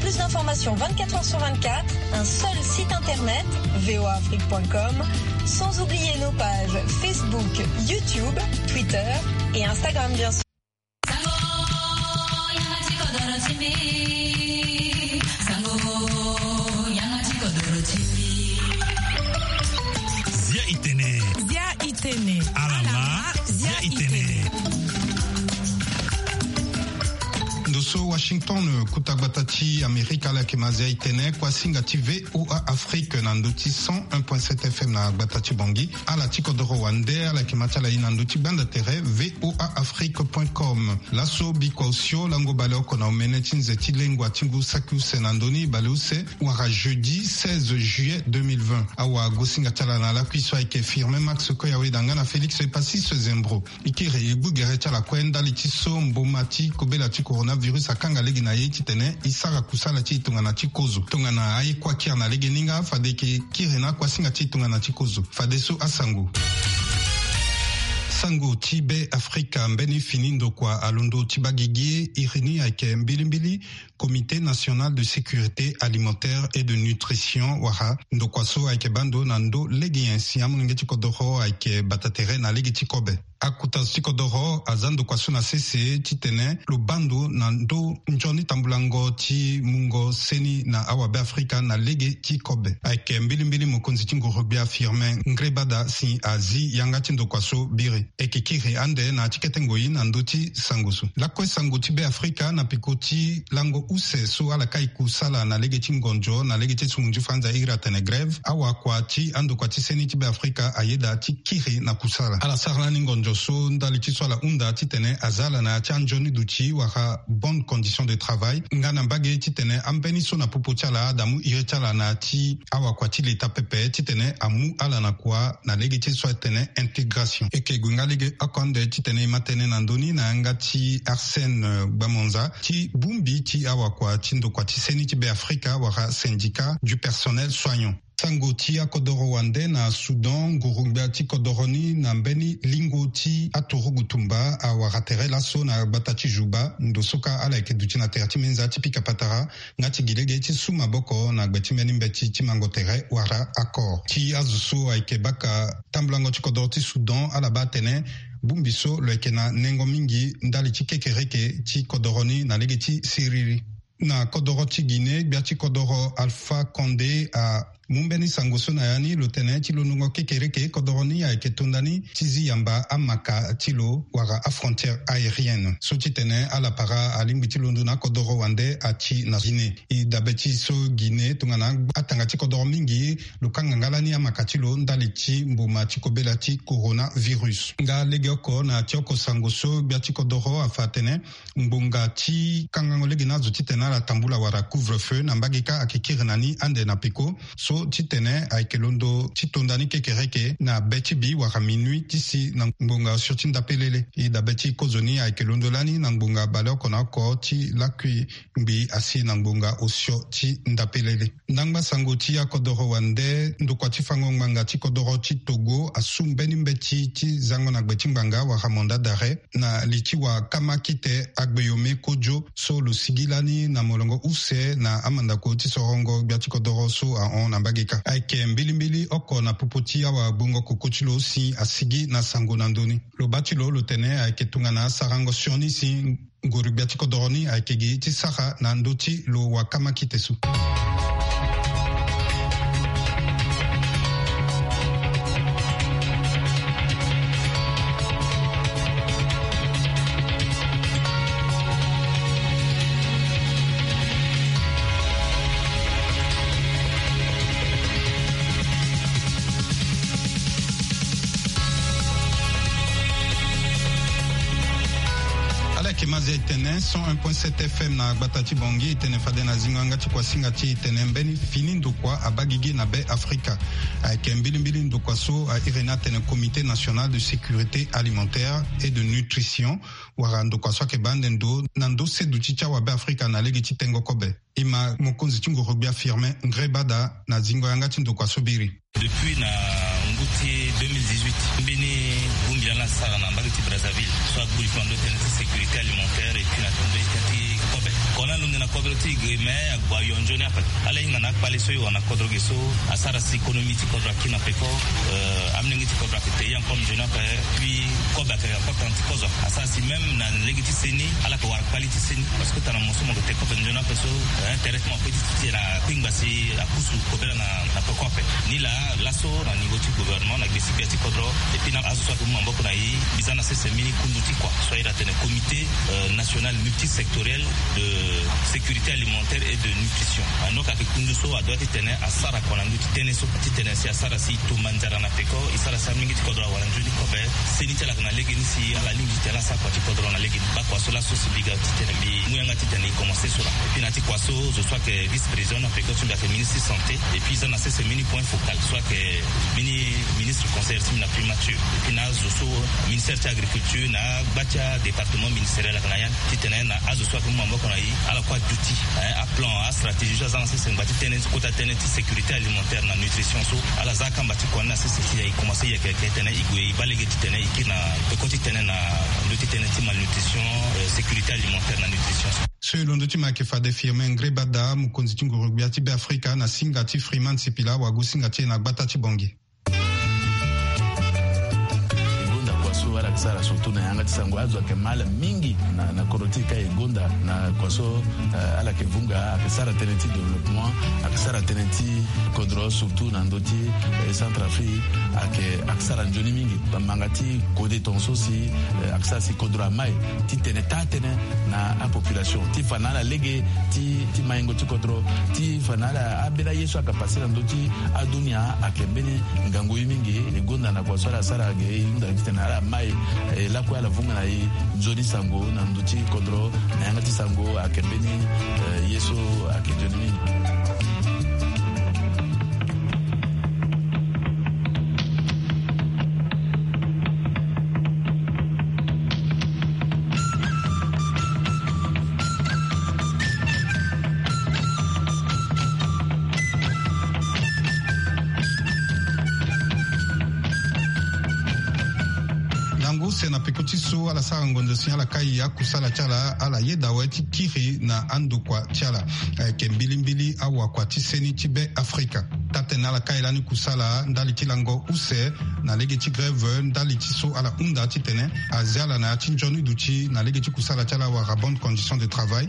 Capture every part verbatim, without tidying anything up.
Plus d'informations vingt-quatre heures sur vingt-quatre, un seul site internet, V O A Afrique point com, sans oublier nos pages Facebook, YouTube, Twitter et Instagram, bien sûr. Zia itene. Zia itene. Alama. Zia itene. Ndo so Washington, kuta gbata ti Amerika, ala yeke ma Zia itene, kuasinga ti V O A Afrique na ndö ti cent un point sept F M na gbata ti Bangui. Ala ti kodoro wande, ala yeke ma ti ala ye na ndö ti gbanda tere V O A Afrique point com. Laso bikua osio lango baleoko na omene ti nze ti lengua ti ngu saki use na ndö ni, baleuse wara jeudi seize juillet deux mille vingt. Awagosinga ti ala na lakui so ayeke Firmin Max Koyawe danga na Félix Epasis Zembro. E kiri e gbu gere ti ala kue ndali ti so mboma ti kobela ti coronavirus akanga lege na ye titene e sara kusala ti e tongana ti kozo. Tongana aye kue akiri na lege ni nga, fade e yeke kiri na akuasinga ti e tongana ti kozo. Fadeso asango. Sango ti Be Afrika, mbeni fini ndokua alondo ti baa gigi. Iri ni ayeke mbilimbili Comité National de Sécurité Alimentaire et de Nutrition, wala ndokua so ayeke baa ndo na ndö lege nyen si amolenge ti kodoro ayeke bata tere na lege ti kobe. Akota zo ti kodoro aza ndokua so na sese titene lo baa ndo na ndö nzoni tambulango ti mungo seni na awabe Afrika na lege ti kobe. Ayeke mbilimbili mokonzi ti nguru-gbia Firmin Ngrébada si azi yanga ti ndokua so biri. E yeke kiri ande na ya ti kete ngoi na ndö ti sango so. Lakue sango ti Be Afrika, na peko ti lango use so ala kai kusala na lege ti ngonzo na lege ti sungu ti fanza iri atene grève, awakua ti andokua ti seni ti Be Afrika ayeda ti kiri na kusala. Ala sara lani ngonzo so ndali ti so ala hunda titene aza ala na ya ti anzoni duti wala bonne condition de travail, nga na mbage titene ambeni so na popo ti ala adamu iri ti ala na ya ti awakua ti leta pepe titene amu ala na kua na lege ti so atene intégration. E yeke gue nga lege oko ande titene e ma tene na ndö ni na yanga ti Arsène, eh, Gbamonza ti bongbi ti awakua ti ndokua ti seni ti Be Afrika wala syndicat du personnel soignant. Sango ti akodoro wande na Soudan, nguru-gbia ti kodoro ni na mbeni lingo ti aturugu tumba awara tere laso na gbata ti Juba, ndo so kâ ala yeke duti na tere ti menza ti pika patara nga ti gi lege ti su maboko na gbe ti mbeni mbeti ti mango tere wala accord. Ti azo so ayeke baka tambulango ti kodoro ti Soudan, ala baa atene bongbi so lo yeke na nengo mingi ndali ti kekereke ti kodoro ni na lege ti siriri. Na kodoro ti Guinée, gbia ti kodoro Alpha Condé amu mbeni sango so na ya ni, lo tene ti londongo kekereke kodoro ni ayeke tonda ni ti zi yamba amaka ti lo wala afrontière aérienne. So titene ala para alingbi ti londo na akodoro wande ati na Guinée. E dabe ti so Guinée tongana atanga ti kodoro mingi, lo kanga nga lani amaka ti lo ndali ti mboma ti kobela ti coronavirus. Nga legeoko na ya ti oko sango so, gbia ti kodoro afa atene ngbonga ti kangango lege na azo titene ala tambula wala couvre-feu na mbage kâ ayeke kiri na ni ande na peko. So titene ayeke londo ti tonda ni kekereke na be ti bi wala minuit ti si na ngbonga osio ti ndapelele. E dabe ti kozoni ayeke londo lani na ngbonga baleoko na oko ti lakui ngbii asi na ngbonga osio ti ndapelele. Ndangba sango ti akodoro wande, ndokua ti fango ngbanga ti kodoro ti Togo asu mbeni mbeti ti zango na gbe ti ngbanga wala mandat d'arrêt na li ti wakama kite Agbeome Kojo so lo sigi lani na molongo use na amandako ti sorongo gbia ti kodoro so ahon na mbage kâ. Ayeke mbilimbili oko na popo ti awagbongo koko ti lo si asigi na sango na ndö ni. Lo baa ti lo lo tene ayeke tongana asarango sioni si nguru-gbia ti kodoro ni ayeke gi ti sara na ndö ti lo wakama kite so. Ala yeke ma Zia itene, cent un point sept F M na gbata ti Bangui. Itene fade na zingo yanga ti kuasinga ti e, itene mbeni fini ndokua abaa gigi na Be Afrika. Ayeke mbilimbili ndokua so a iri ni atene Comité National de Sécurité Alimentaire et de Nutrition, wala ndokua so ayeke baa ande ndo na ndö seduti ti awabe Afrika na lege ti tengo kobe. E ma mokonzi ti nguru-gbia Firmin Ngrébada na zingo yanga ti ndokua so biri. Depuis na ngu ti deux mille dix-huit, mbeni bongbi lani asara na mbage ti Brazzaville so agbu li kua na ndö ti tënë ti sécurité alimentaire et puis na ndö ti tënë ti kobe. Kona lunde na kodro ti e ge, me agbo ayo nzoni ape. Ala hinga na akpale so e wara na kodro ge so asara si économie ti kodro akiri na peko. Amlenge ti kodro ake te ye encore nzoni ape. Puis kobe ake encore tana ti kozo asara si même na lege ti seni ala ke wara kpali ti seni, parce que tana mo so mo ke te kobe nzoni ape so. Intéressement pe ti ti na kpingba si apusu kobela na peko ape. Ni laa laso na niveau ti gouvernement na gbesi gbia ti kodro, et puis na azo so ake mu maboko na e, mbi za na sese mbeni kundu ti kua so aye atene comité national multisectoriel de sécurité alimentaire et de nutrition. Anoka ake kundu so adoit ti tene asara kua na ndö ti tënë so, ti tene si asara si e to manzara na peko, e sara si amlenge ti kodro awara nzoni kobe. Seni ti ala ake na legeni si ala lingbi ti tene ala sara kua ti kodro na legeni. Baa kua so laso si mbi ga ti tene mbi mu yanga ti tene e commencer so laa. Et puis na ya ti kua so zo so ake vice président na peko so mbi ake ministre ti santé, et puis za na sese mbeni point focal so ake mbeni ministre conseiller ti mbi na primature, et puis na azo so ministère ti agriculture na agba ti adépartement ministériel ake na ya ti tene na azo so ake mu maboko na e ala kue aduti aplan, astratégie so aza na sese ngba ti tënë ti kota tënë ti sécurité alimentaire na nutrition so. Ala za akamba ti kua ni na sese si e commencer yeke yeke ti tene e gue e baa lege ti tene e kiri na peko ti tene na ndö ti tënë ti malnutrition, sécurité alimentaire na nutrition so. So e londo ti mo ayeke fade Firmin Ngrébada, mokonzi ti nguru-gbia ti Beafrika na singa ti Freeman Sipila, wagu singa ti e na gbata ti Bangui. E gonda kua so ala ke sara surtout na yanga ti sango, azo ayeke mal mingi na, na kodro ti e ka e gonda na kua so, eh, ala ke vunga, ayeke sara tënë ti développement, ayeke sara tënë ti kodro, surtout na ndö ti, eh, Centrafrique, ayeke, ayeke sara nzoni mingi. Bamanga ti kode tongaso si, eh, ayeke sara si kodro amai ti tene taa tënë na apopulation, ti fa na ala lege ti, ti maingo ti kodro, ti fa na ala ambeni aye so ayeke pase na ndö ti adunia ayeke mbeni ngangu ye mingi. E gonda na kua so ala sara ge, e hunda ti tene ala mai, eh, lakue ala vunga na e nzoni sango na ndö ti kodro, na yanga ti sango ayeke mbeni, eh, ye so ayeke nzoni mingi. Lango use na peko ti so ala sara ngonzo si ala kai akusala ti ala, ala yeda awe ti kiri na andokua ti ala. Ayeke mbilimbili awakua ti seni ti Be Afrika. Taa-tënë ala kai lani kusala ndali ti lango use na lege ti grève ndali ti so ala hunda titene azi ala na ya ti nzoni duti na lege ti kusala ti ala wala bonne condition de travail.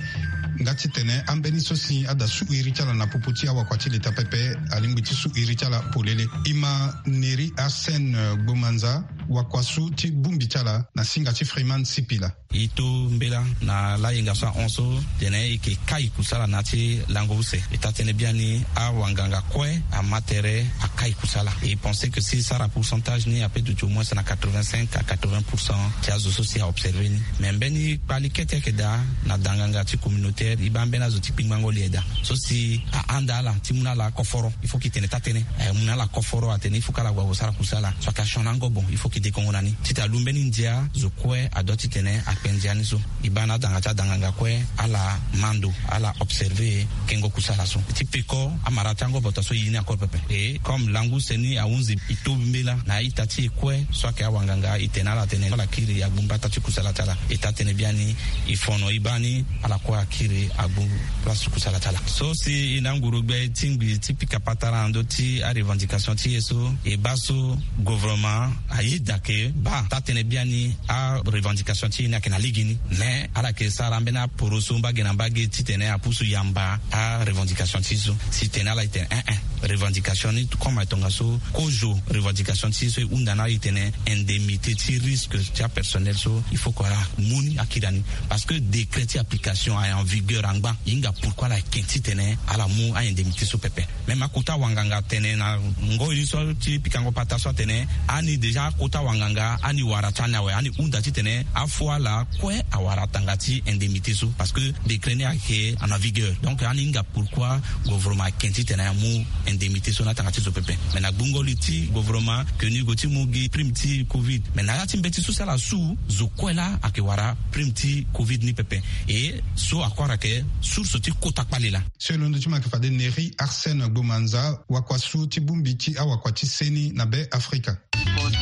Nga titene ambeni so si ada su iri ti ala na popo ti awakua ti leta pepe, alingbi ti su iri ti ala polele. E ma Neri Arsène Gbomanza, wakua so ti bongbi ti ala na singa ti Freeman Sipila. E to mbela na layenga so ahon so tene e yeke kai kusala na ya ti lango use. E taa-tënë biani awanganga kue ama tere akai kusala. E pense que si e sara pourcentage ni ape duti au moins na quatre-vingt-cinq à quatre-vingts pour cent ti azo so si a observe ni. Mais mbeni kpali kete ayeke daa na danganga ti communautaire, e baa mbeni azo ti kpingbango li aye daa so si ahanda ala ti mu na ala koforo. Il faut ke tene taa-tënë, eh, mu na ala koforo atene il faut que ala gue ague sara kusala. So ayeke asioni ango bon, il faut ke dekongo na ni. Titene alu mbeni ndia, zo kue adoit titene akpe ndia ni so. E baa na adanga ti adanganga kue ala ma ndo, ala observe kengo kusala so. Ti peko amara ti ango bota so e ye ni encore pepe. Et comme lango use ni ahunzi e to mbela na a-ita ti e kue so ayeke awanganga, e tene na ala tene ala kiri agbu mbata ti kusala ti ala. E taa-tënë biani e fono e baa ni ala kue akiri agbu place ti kusala ti ala. So si e na nguru-gbia e tingbi ti pika patara na ndö ti arevendication ti e so, e baa so gouvernement ayeda ke baa taa-tënë biani arevendication ti e ni ayeke na legeni. Mais ala yeke sara ambeni aporoso mbage na mbage titene apusu yamba arevendication ti e so. Si tene ala e tene eh eh, revendication ni comme aye tongaso kozo revendication ti e so e hunda na ala e tene indemnité ti risque ti apersonnel so il faut que ala mu ni akiri na ni. Parce que décret ti application aye en vigueur angba. E hinga pourquoi ala yeke titene ala mu a-indemnité so pepe. Même akota wanganga atene na ngoi ni so ti pikango pata so atene ani déjà akota wanganga ani wara ti ani awe, ani hunda titene afo ala kue awara tanga ti indemnité so. Parce que décret ni ayeke en vigueur. Donc ani hinga pourquoi gouvernement ayeke titene amu indemnité so na tanga ti zo pepe. Mais na gbungo li ti gouvernement ke ni gue ti mu gi prime ti covid. Mais na ya ti mbeti so si ala su, zo kue laa ayeke wara prime ti covid ni pepe. Et so akora ayeke source ti kota kpale laa. So e londo ti mo ayeke fade Neri Arsène Gbomanza, wakua so ti bongbi ti awakua ti seni na Be Afrika.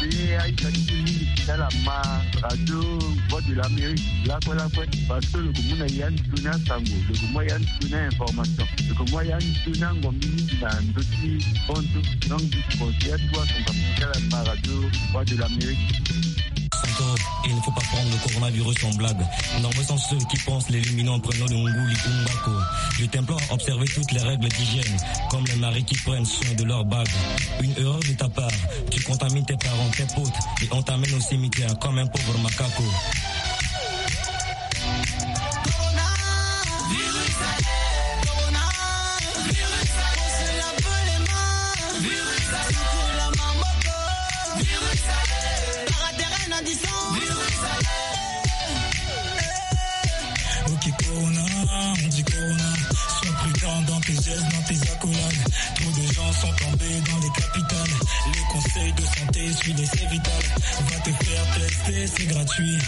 Ye aita ti mingi ti ala ma radio Voix de l'Amérique lakue lakue, parce que lo ko mu na ya ni tuni asango, lo ko mu ya ni tuni a-information, lo ko mu ya ni tuni angombi mingi na ndö ti bantu. Donc du coup ya tout asango ti ala ma radio Voix de l'Amérique. Encore, il ne faut pas prendre le coronavirus en blague. Nombreux sont ceux qui pensent l'éliminer en prenant le nguli ou mbako. Je t'implore à observer toutes les règles d'hygiène, comme les maris qui prennent soin de leur bague. Une erreur de ta part, tu contamines tes parents, tes potes, et on t'amène au cimetière comme un pauvre macaco. Ok, Corona, on dit Corona. Sois prudent dans tes gestes, dans tes accolades. Trop de gens sont tombés dans les capitales. Les conseils de santé, suis-les, c'est vital. Va te faire tester, c'est gratuit.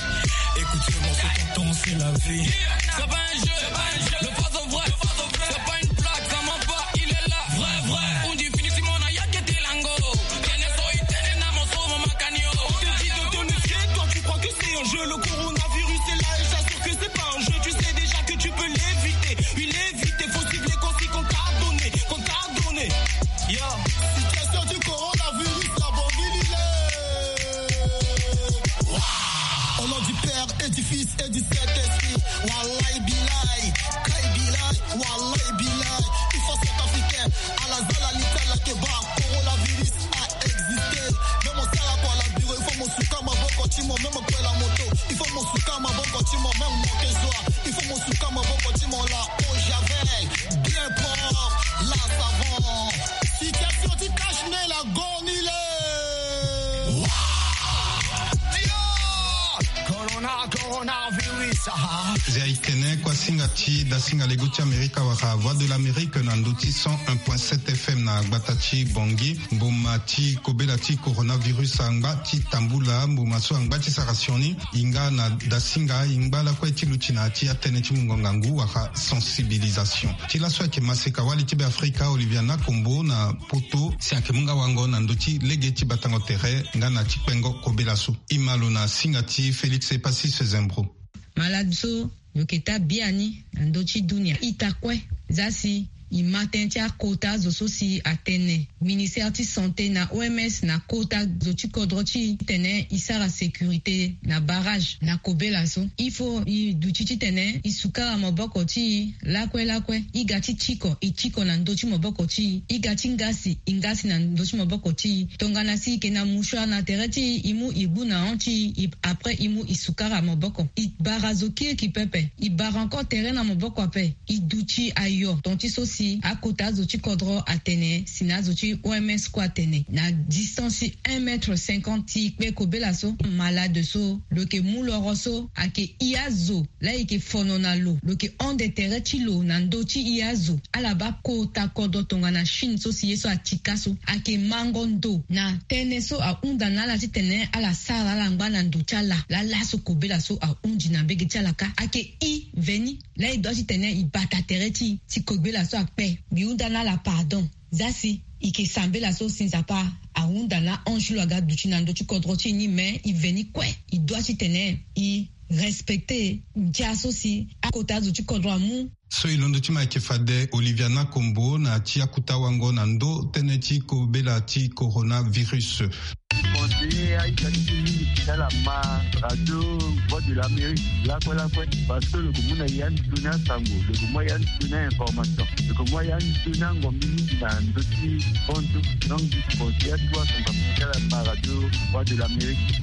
Écoute ce morceau, tonton, c'est la vie. C'est pas un jeu, c'est pas un jeu. Le phase au vrai, c'est pas une blague, ça ment pas, il est là. Vrai, vrai. On dit fini, Simon, na yake te lango. Tene so itene na moso mo makanio. On te dit de te méfier, toi tu crois que c'est un jeu. Le coronavirus est là et j'assure que c'est pas un jeu. Tu sais déjà que tu peux l'éviter. Il est évité, faut suivre les consignes qu'on t'a donné, qu'on t'a donné. Yo. Situation du coronavirus, la bonne il est. Au nom du Père et du Fils et du Saint-Esprit. Wallahi billahi, kai billahi, wallahi billahi. Il faut cet Africain à la zala litala que ba coronavirus a existé. Même au sala quoi la bureau, il faut mon suka maboko ti mo, même quoi la moto. Il faut mon suka maboko ti mo, même mon kezwa. Il faut mon suka maboko ti mo la eau javel. Bien propre, la savon. Situation ti cache-nez la gonile. Corona, coronavirus, ah. Zia itene kua singa ti dasinga lego ti Amerika wala Voix de l'Amérique na ndö ti cent un point sept F M na gbata ti Bangui. Mboma ti kobela ti coronavirus angba ti tambula, mboma so angba ti sara sioni. Hinga na dasinga, hingba lakue ti luti na ya ti atënë ti mungo ngangu wala sensibilisation. Ti laso ayeke maseka wali ti Beafrika Olivia Nakombo na poto si ayeke mu nga wango na ndö ti lege ti batango tere nga na ti kpengo kobela so. E ma lo na singa ti Félix Epasis Zembro. Malade so lo yeke taa biani na ndö ti dunia ita kue. Za si e ma tënë ti akota zo so si atene ministère ti santé na O M S na kota zo ti kodro ti e titene e sara sécurité na barrage na kobela so. Il faut e duti titene e sukara maboko ti e lakue lakue. E ga ti tiko, e tiko na ndö ti maboko ti e. E ga ti ngasi, e ngasi na ndö ti maboko ti e. Tongana si e yeke na mouchoir na tere ti e, e mu e gbu na hon ti e, après e mu e sukara maboko. E bara zo kirikiri pepe. E bara encore tere na maboko ape. E duti ayo ton ti so si akota azo ti kodro atene si na azo ti O M S kue atene na distance ti un mètre cinquante ti kpe kobela so. Malade so lo yeke mu loro so ayeke i azo laa e yeke fono na lo, lo yeke hon de tere ti lo na ndö ti i azo. Ala baa kota kodro tongana Chine so si ye so atika so ayeke mango ndo na tënë so ahunda na ala titene ala sara ala ngba na ndo ti ala. Laa laso kobela so ahundi na mbege ti ala kâ. Ayeke i veni laa e dua titene e bata tere ti e ti kobela so akpe. Mbi hunda na ala pardon. Za si e yeke sambela so si Nzapa ahunda na ange ti lo aga duti na ndö ti kodro ti e ni, me e veni kue e dua titene e respecte ndia so si akota azo ti kodro amu. So e londo ti ma ayeke fade Olivia Nakombo na ti akuta wango na ndö tënë ti kobela ti coronavirus. Conseiller aita ti mingi ti ala ma radio Voix de l'Amérique lakue lakue, parce que lo ko mu na ya ni tuni asango, lo ko mu ya ni tuni a-information, lo ko mu ya ni tuni angombi mingi na ndö ti bantu. Donc du coup conseiller tout asango ti ala ma radio Voix de l'Amérique.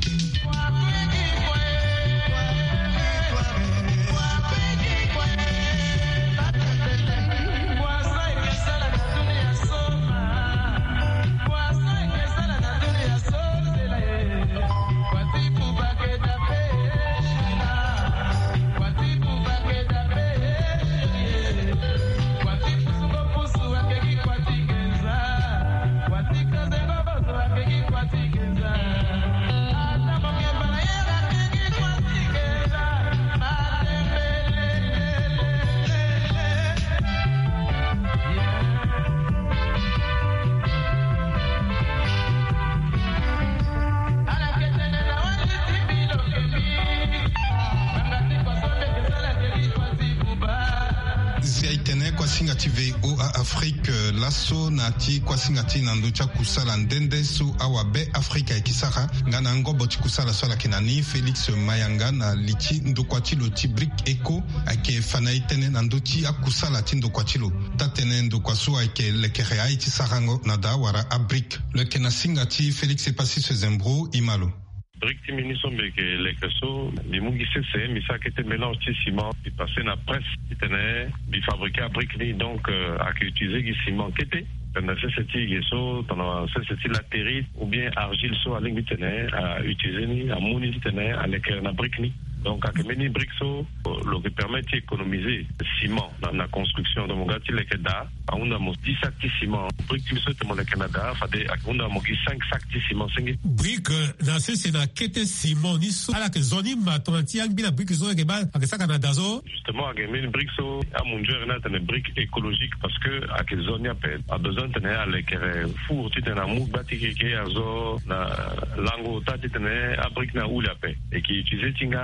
Singa ti VOA Afrique, eh, laso na ti kuasinga ti na ndö ti akusala nde nde so awabe Afrika ayeke sara nga na ngobo ti kusala so ala yeke na ni, Félix Mayanga, na li ti ndokua ti lo ti BRIC Eco, ayeke fa na e tënë na ndö ti akusala ti ndokua ti lo. Taa-tënë ndokua so ayeke lekere aye ti sarango na daa wala abric. Lo yeke na singa ti Félix Epasis Zembro, e ma lo. Brique ti mbi ni so mbi yeke leke so, mbi mu gi sese, mbi sara kete mélange ti ciment, mbi passe na presse titene mbi fabriquer abrique ni. Donc, euh, ayeke utiliser gi ciment kete. Tongana sese ti ge so, tongana sese ti latérite ou bien argile so alingbi titene a utiliser ni, amu ni titene aleke na brique ni. Donc, ayeke mbeni brique so, euh, lo yeke permettre ti économiser ciment na, na construction. Donc, mo ga ti leke daa, ahunda mo dix sacs ti ciment. Brique ti mbi so titene mo leke na daa, fade ayeke hunda mo gi cinq sacs ti ciment senge. Brique, euh, na sese na kete ciment ni so ala yeke zo ni ma tongana ti angbi na brique so ayeke baa ayeke saka na daa so. Justement, ayeke mbeni brique so amunzu ere ni atene brique écologique, parce que ayeke zo ni ape. Abesoin titene alekere four titene amu gba ti keke azo na lango ota titene abrique ni ahule ape. E yeke utiliser ti nga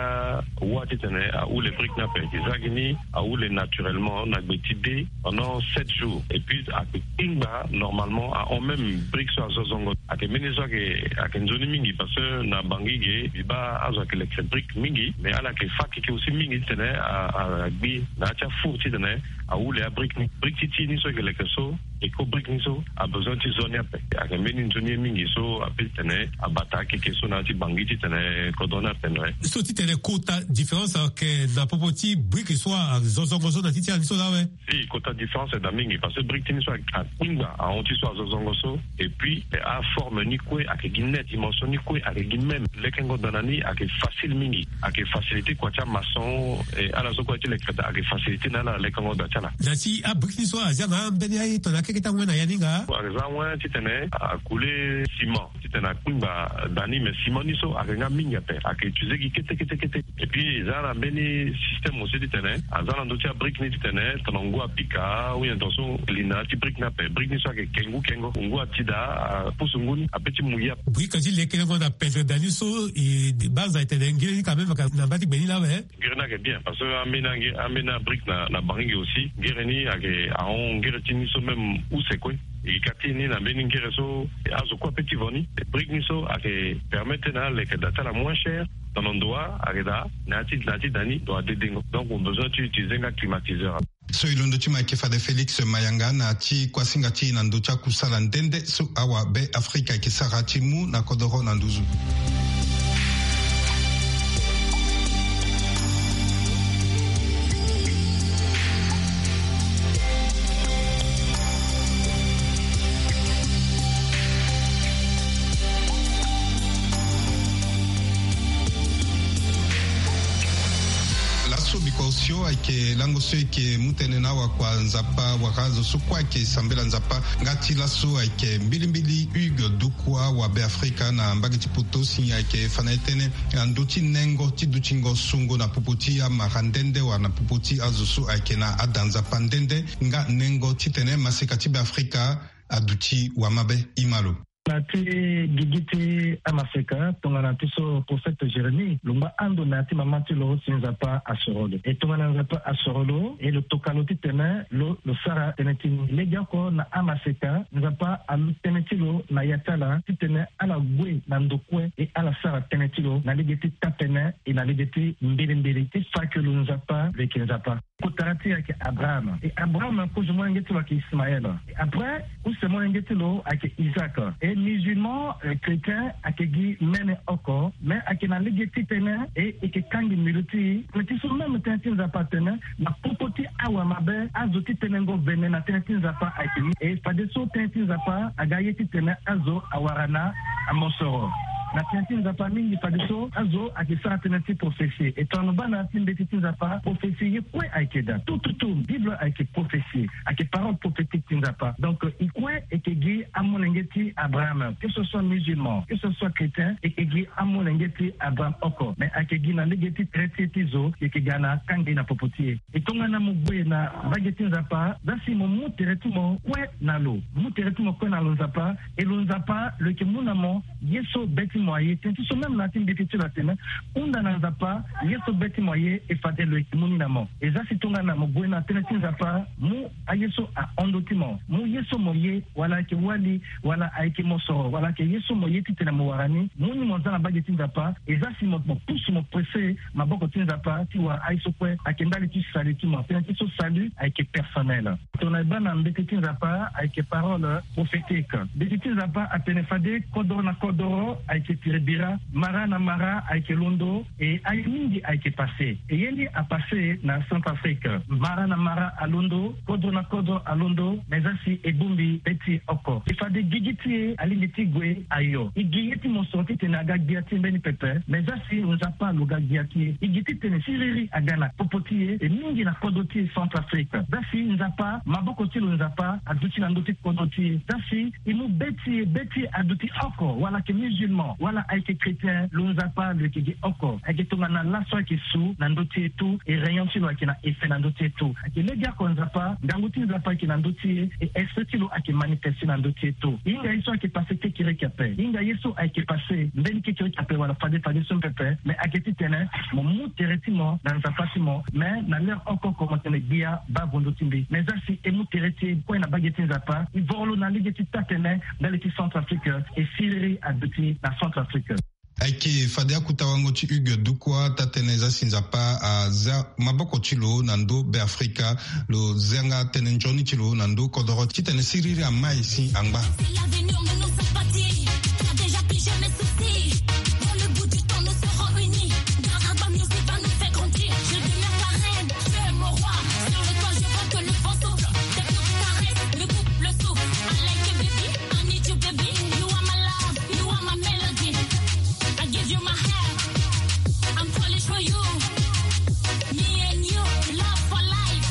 wâ titene ahule brique ni ape. E yeke za gi ni ahule naturellement na gbe ti dé pendant sept jours. Et puis ayeke kpingba normalement ahon même brique so azo zongo. Ayeke mbeni so ayeke, ayeke nzoni mingi parce que na Bangui ge mbi baa azo ayeke leke brique mingi, mais ala yeke fâ keke aussi mingi titene a, a, agbi na ya ti afour titene ahule abrique ni. Brique ti ti ni so e yeke leke so, Eco Brique ni so abesoin ti zo ni ape. Ayeke mbeni nzoni ye mingi so apeut titene abata akeke so na ya ti Bangui titene kodro ni ape na ye. So titene kota différence ayeke na popo ti brique so azo zongo so na ti ti ala ni so laa awe? Si, kota différence ayeke daa mingi parce que brique ti ni so akpingba ahon ti so azo zongo so. Et puis, eh, aforme ni kue ayeke gi net, dimension ni kue ayeke gi même. Lekengo daa na ni ayeke facile mingi. Ayeke facilité kua ti amaçon, eh, ala so kue ti leke daa ayeke facilité na ala lekengo daa ti ala. Na ti abrique ni so aza na ambeni aye tongana akeke ti angue na ya ni nga? Aza angue titene akule ciment titene akpingba daa ni, mais ciment ni so ayeke nga mingi ape, ayeke utiliser gi kete kete kete. Et puis eza na mbeni système aussi titene aza na ndö ti abrique ni titene tongana ngu apika ou bien tongaso li na ya ti brique ni ape, brique ni so ayeke ke ngu kengo, ngu ati daa apusu ngu ni ape ti mu ye ape. Brique ti lekengo na pendre daa ni so, e baa aza e tene ngiri ni quand même ayeke na mba ti gbe ni laa awe? Ngiri ni ayeke bien parce que ambeni angi, ambeni abrique na, na Bangui ge aussi, ngiri ni ayeke ahon ngiri ti ni so même use kue. E ka ti ni na mbeni ngiri so azo kue apeut ti vo ni. Brique ni so ayeke permettre na aleke daa ti ala moins cher. Tongana ndo wa ayeke daa na ya ti, na ya ti daa ni ndo adedengo. Donc mo besoin ti utiliser nga climatiseur. So e londo ti mo ayeke fade Félix Mayanga na ya ti kuasinga ti e na ndö ti akusala nde nde so awabe Afrika ayeke sara ti mu na kodoro na nduzu. Laso biko osio ayeke lango so e yeke mu tënë na awakua Nzapa wala azo so kue ayeke sambela Nzapa. Nga ti laso ayeke mbilimbili Hugues Dukwa, awabe Afrika na mbage ti poto, si ayeke fa na e tënë na ndö ti nengo ti dutingo sungo na popo ti amara nde nde wala na popo ti azo so ayeke na ada Nzapa nde nde, nga nengo titene maseka ti Beafrika aduti wamabe. E ma lo. Na ti gigi ti amaseka, tongana ti so prophète Jérémie lo ngba ando na ya ti mama ti lo si Nzapa asoro lo. E tongana Nzapa asoro lo, e lo toka lo titene lo, lo sara tënë ti ni. Legeoko na amaseka, Nzapa alu tënë ti lo na ya ti ala titene ala gue na ndo kue, e ala sara tënë ti lo na lege ti taa-pene, e na lege ti mbilimbili, ti fa ke lo Nzapa, lo yeke Nzapa. Kotara ti e ayeke Abraham. E Abraham, kozo molenge ti lo ayeke Ismaël. E après, use molenge ti lo ayeke Isaac. E musulman, eh, chrétien, ayeke gi mene oko, mais ayeke na lege ti tënë, e, e yeke kangbi mbi lo ti e. Tënë ti so même tënë ti Nzapa atene, na popo ti awamabe, azo ti tenengo vene na tënë ti Nzapa ayeke ni. E fadeso tënë ti Nzapa aga ye titene azo awara na amosoro. Na tënë ti Nzapa mingi fadeso azo ayeke sara tënë ti prophétie. E tongana lo baa na ya ti mbeti ti Nzapa, prophétie ye kue ayeke daa. Tout, tout, tout. Bible ayeke prophétie. Ayeke parole prophétique ti Nzapa. Donc, e kue e yeke gi amolenge ti Abraham. Que ce soit musulman, que ce soit chrétien, e yeke gi amolenge ti Abraham oko. Mais ayeke gi na lege ti tere ti e ti zo, e yeke ga na kangbi na popo ti e. E tongana mo gue na mbage ti Nzapa, za si mo mu tere ti mo kue na lo. Mu tere ti mo kue na lo Nzapa, e lo Nzapa lo yeke mu na mo ye so be ti Mo aye tënë ti so même na ya ti mbeti ti lo atene, hunda na Nzapa ye so be ti mo aye, e fade lo yeke mu ni na mo. E za si tongana mo gue na tënë ti Nzapa, mu aye so ahon ndö ti mo, mu ye so mo ye, wala ayeke wali, wala ayeke mosoro, wala ayeke ye so mo ye titene mo wara ni, mu ni mo za na mbage ti Nzapa. E za si mo, mo pusu, mo presse maboko ti Nzapa ti wara aye so kue ayeke ndali ti salut ti mo. Tënë ti so salut ayeke personnel. Tongana e baa na mbeti ti Nzapa ayeke parole prophétique. Mbeti ti Nzapa atene fade kodoro na kodoro ayeke piri bira, mara na mara ayeke londo, e aye mingi ayeke passé. E ye ni apassé na Centrafrique. Mara na mara alondo, kodro na kodro alondo, me za si e bongbi be ti e oko. E fade gigi ti e alingbi ti gue ayo. E gi ye ti mosoro titene aga gbia ti e mbeni pepe, me za si Nzapa lo ga gbia ti e. E gi titene siriri aga na popo ti e, e mingi na kodro ti e Centrafrique. Za si Nzapa, maboko ti lo Nzapa aduti na ndö ti kodro ti e. Za si e mu be ti e, be ti e aduti oko, wala ayeke musulman, wala ayeke chrétien, lo Nzapa lo yeke gi oko. Ayeke tongana laso ayeke su na ndö ti e tout, e rayon ti lo ayeke na effet na ndö ti e tout. Ayeke legeoko Nzapa, ngangu ti Nzapa ayeke na ndö ti e, e esprit ti lo ayeke manifesté na ndö ti e tout. E hinga ye so ayeke passé kekereke ape. E hinga ye so ayeke passé mbeni kekereke ape wala fade fade so pepe, me ayeke titene mo mu tere ti mo na Nzapa ti mo. Me na l'heure oko oko mo tene gbia baa vo ndö ti mbi. Me za si e mu tere ti e kue na mbage ti Nzapa, e voro lo na lege ti taa-tene ndali ti Centrafrique, e siriri aduti na Centrafrique. Ayeke fade akuta wango ti Hugues Dukwa, taa-tene za si Nzapa aza maboko ti lo na ndö Beafrika, lo za nga tënë nzoni ti lo na ndö kodoro titene siriri amai si angba. L'avenir ne nous sert pas dit. T'as déjà pigé mes soucis. Dans le bout du temps, nous serons unis. Garaba Music va nous faire grandir. Je demeure ta reine, tu es mon roi. Sur le toit, je vois que le vent souffle. Tes coups caressent le couple souffle. I like you, baby. I need you, baby. You are my love. You are my melody. I give you my heart. I'm falling for you. Me and you, love for life.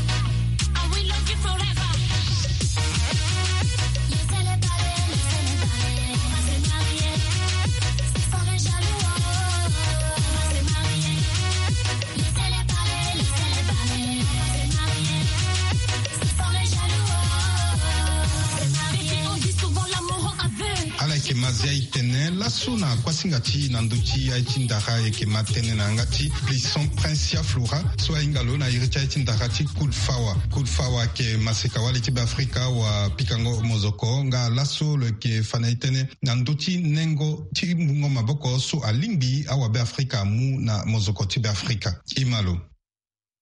I will love you forever. Laissez-les parler, laissez-les parler. On va se marier. S'ils sont les jaloux, oh, on va se marier. Laissez-les parler, laissez-les parler. On va se marier. S'ils sont les jaloux, oh, on va se marier. Baby, on dit souvent l'amour en aveugle. Ala yeke mazia e tene laso na kuasinga ti na ndö ti aye ti ndara e yeke ma tënë na yanga ti Plisson Princia Flora, so ahinga lo na iri ti aye ti ndara ti Cool Fawa. Cool Fawa ayeke maseka wali ti Beafrika, wa pikango mozoko nga laso lo yeke fa na e tënë na ndö ti nengo ti mungo maboko so alingbi awabeafrika amu na mozoko ti Beafrika. E ma lo.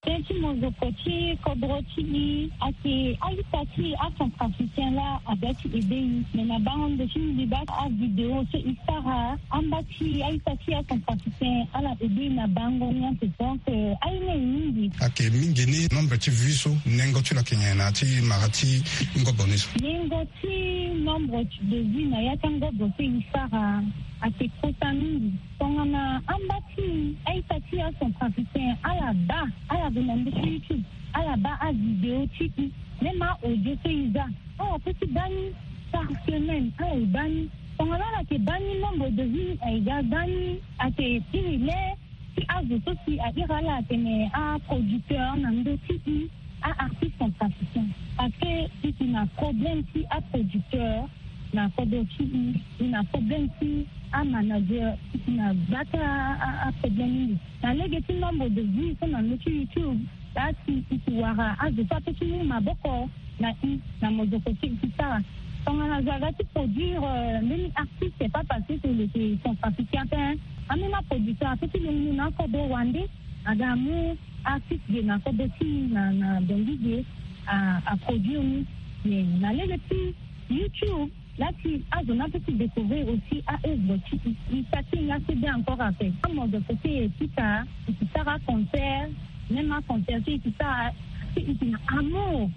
Tënë ti mozoko ti kodro ti e ayeke a-ita ti e acentrafricain laa aga ti aidé e. Me na bango ndo ti mbi baa avidéo so e sara, amba ti a-ita ti e acentrafricain ala aidé e na bango ni ante. Donc, euh, aye ni aye mingi. Ayeke mingi ni nombre ti vues so nengo ti lo ayeke nyen na ya ti mara ti ngobo ni so? Nengo ti nombre de vues na ya ti angobo so e sara ayeke kota mingi. Tongana amba ti e, a-ita ti e acentrafricain ala baa, ala gue na ndö ti YouTube, ala baa avidéo ti e, même a-audio so e za, ala peut ti baa ni par semaine, ala e baa ni. Tongana ala yeke baa ni, nombre de vues aye ga baa ni. Ayeke iri le ti azo so si a iri ala atene aproducteur na ndö ti e, a-artiste centrafricain. Parce que e yeke na problème ti aproducteur na kodro ti e, e na problème ti amanager, e yeke na gba ti a, a, aproblème mingi. Na lege ti nombre de vues so na ndö ti YouTube, laa si e yeke wara azo so ape ti mu maboko na e na mozoko ti e ti sara. Tongana zo aga ti produire, euh, mbeni artiste, c'est pas parce que lo yeke centrafricain ape, hein. Ambeni aproducteur ape ti longoni na akodro wande aga amu artiste ge na kodro ti e na, na Bangui ge, a, aproduire ni. Mais na lege ti YouTube, laa si azo ni ape ti découvrir aussi a-œuvre ti e, e saki e nga so bien encore ape. Amozoko so e pika, e yeke sara concert, même aconcert so e yeke sara, so e yeke na amour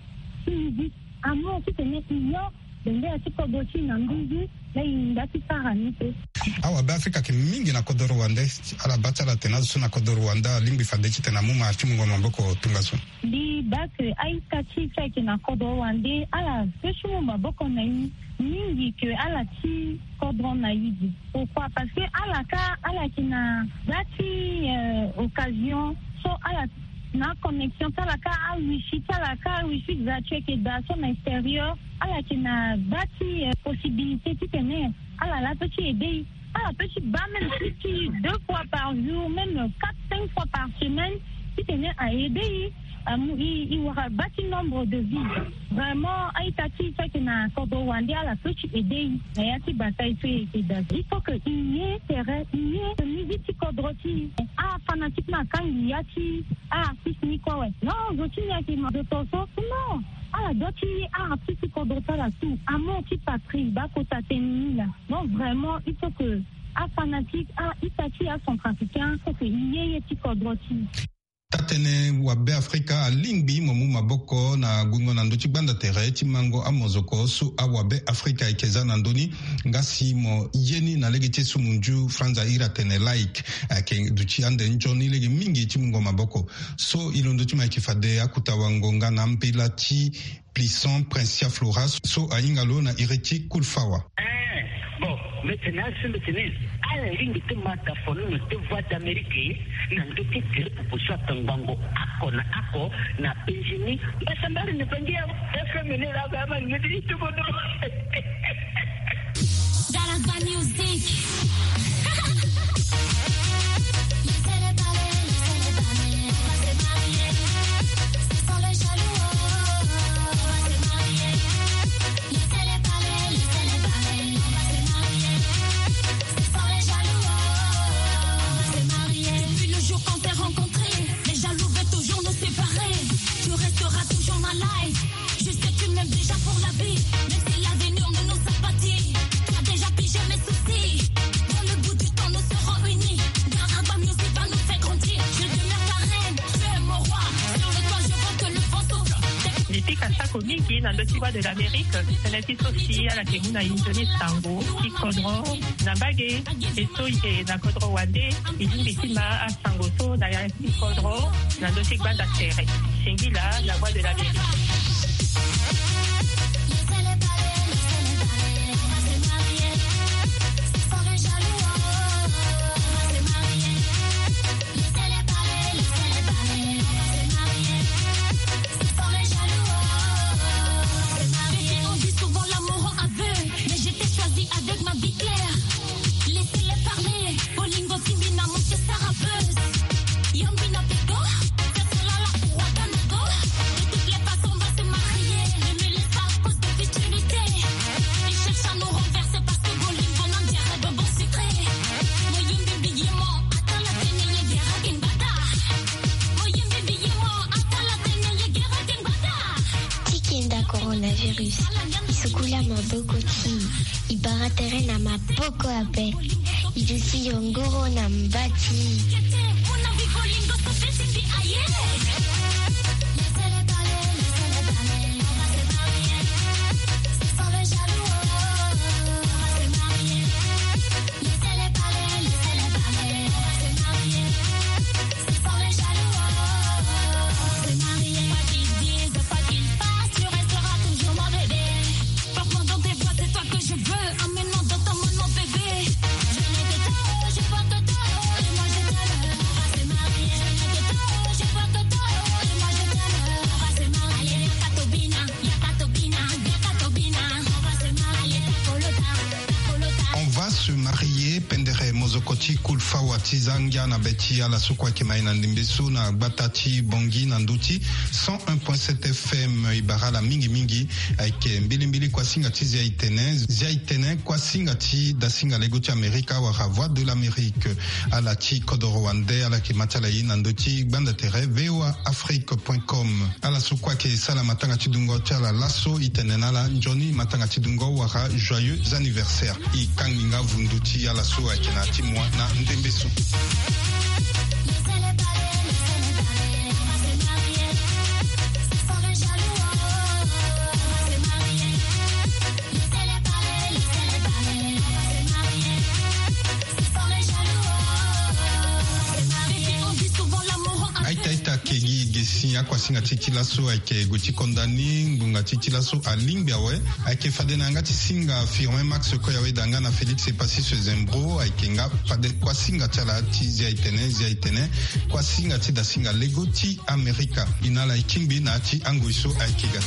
ti musique, amour titene e yo bendera ti kodro ti e na nduzu, laa e hinga ti sara ni so. Awabeafrika ayeke mingi na kodro wande, ala baa ti ala atene azo so na kodro wande alingbi fade titene amu mara ti mungo maboko tongaso. Mbi baa ke a-ita ti e so ayeke na kodro wande, ala peut ti mu maboko na e mingi ke ala ti kodro na e ge. Pourquoi? Parce que ala kâ, ala yeke na gba ti, euh, occasion so ala na connexion ti ala kâ, awifi ti ala kâ, awifi gratuit ayeke daa so na extérieur. Ala yeke na gba ti, euh, possibilité titene ala laa peut ti aidé e. Ah, petit bas même si tu deux fois par jour, même quatre, cinq fois par semaine, si tu n'es à aider, amu i i wara bâti nombre de vie. Vraiment aita ti saki na kodro wande ala so ti aide i na ya ti bataille so i yeke da. Il faut que i ye tere i ye musique ti kodro ti i. Ah, fanatiquement akangi ya ti ah artiste ni kue awe. Non, zo ti ni ayeke ma zo to so non. Ala doit ti ye ah artiste ti kodro ti ala tout amour ti patrie ba kota tene ni laa. Non, vraiment il faut que afanatique ah ita ti acentrafricain faut que i ye ye ti kodro ti i. Tatene wabe afrika alingbi mo mu maboko na gungo na ndö ti gbanda tere ti mango amozoko so awabe afrika ayeke za na ndö ni. Nga si mo ye ni na lege ti esumunju franza iri atene like ayeke duti ande nzoni lege mingi ti mungo maboko. So e londo ti mo ayeke fade akuta wango nga na ambela ti plison princia flora so ahinga lo na iri ti kulfawa. Eh, bon, mbeti na asi mbeti ni ala lingbi ti ma ta fono na te voix d'amérique na ndö ti tere pupu so atangbango ako na ako na penzi ni. Mbasa mbari ni pangi ya fm ni la ba ma ngedi itubono. Dans la musique. Laissez-les parler, laissez-les parler, on va se marier. Ce sont les jaloux, oh, on va se marier. Laissez-les parler, laissez-les parler, on va se marier. Ce sont les jaloux, oh, on va se marier. Depuis le jour qu'on s'est rencontrés, les jaloux veulent toujours nous séparer. Tu resteras toujours ma life. Je sais que tu m'aimes déjà pour la vie. Même si l'avenir ne nous sert pas dit. Tu as déjà pigé mes soucis. Dans le bout du temps, nous serons unis. Garagba Music va nous faire grandir. Je demeure ta reine, tu es mon roi. Sur le toit, je vois que le vent souffle. Mbi pika sako mingi na ndö ti Voix de l'Amérique. Tënë ti so si ala yeke mu na inzo ni sango ti kodro na mbage. E so e yeke na kodro wande e lingbi ti ma asango so na ya ti kodro na ndö ti gbanda tere. Singila, la voix de l'Amérique. On dit souvent l'amour en aveugle, mais je t'ai choisi avec ma vie claire. Laissez-les parler. Bolingo timbi na moke sara buzz. Yambi na peko. Sasala la roi Kanago. De toutes les façons, on va se marier. Ne me laisse pas à cause de futilité. Ils cherchent à nous renverser parce que bolingo na ndiara bonbon sucré. Moyimbi bigimo. Atala tene ye gera kimbata. Moyimbi bigimo. Atala tene ye gera kimbata. Ti kenda coronavirus. E sukula maboko ti e. E bara tere na maboko ape. E duti yongoro na mba ti e. Porte-moi dans tes bras, c'est toi que je veux. Amène-moi dans ton monde, mon bébé. Je n'ai que toi, je porte toi, et moi je t'aime. On va se marier. Je n'ai que toi, je porte toi, et moi je t'aime. On va se marier. Allez, yaka tobina, yaka tobina, yaka tobina. On va se marier. Allez, takolota, takolota. On va se marier, pendere mozoko ti kulfawa ti za ngia na be ti ala so kue ayeke ma e na ndembe so na gbata ti Bangui na ndö ti cent un point sept F M. E bara ala mingi mingi. Ayeke mbilimbili kuasinga ti zia itene, zia itene kuasinga ti dasinga lego ti Amerika wala Voix de l'Amérique. Ala ti kodoro wande ala yeke ma ti ala ye na ndö ti gbanda tere V O A Afrique point com. Ala so kue ayeke sara matanga ti dungo ti ala laso e tene na ala nzoni matanga ti dungo wala joyeux anniversaire. E kangbi nga vundu ti ala so ayeke na ya ti moi na ndembe so. Aita aita kegi gesi akuasinga ti ti laso ayeke gue ti konda ni ngbonga ti ti laso alingbi awe. Ayeke fade na yanga ti singa Firmin Max Koyawe da nga na Félix Epassis Zembro ayeke nga fade kuasinga ti ala ti zia itene zia itene kuasinga ti dasinga lego ti Amerika. E na ala e kingbi na ya ti angoi so ayeke ga.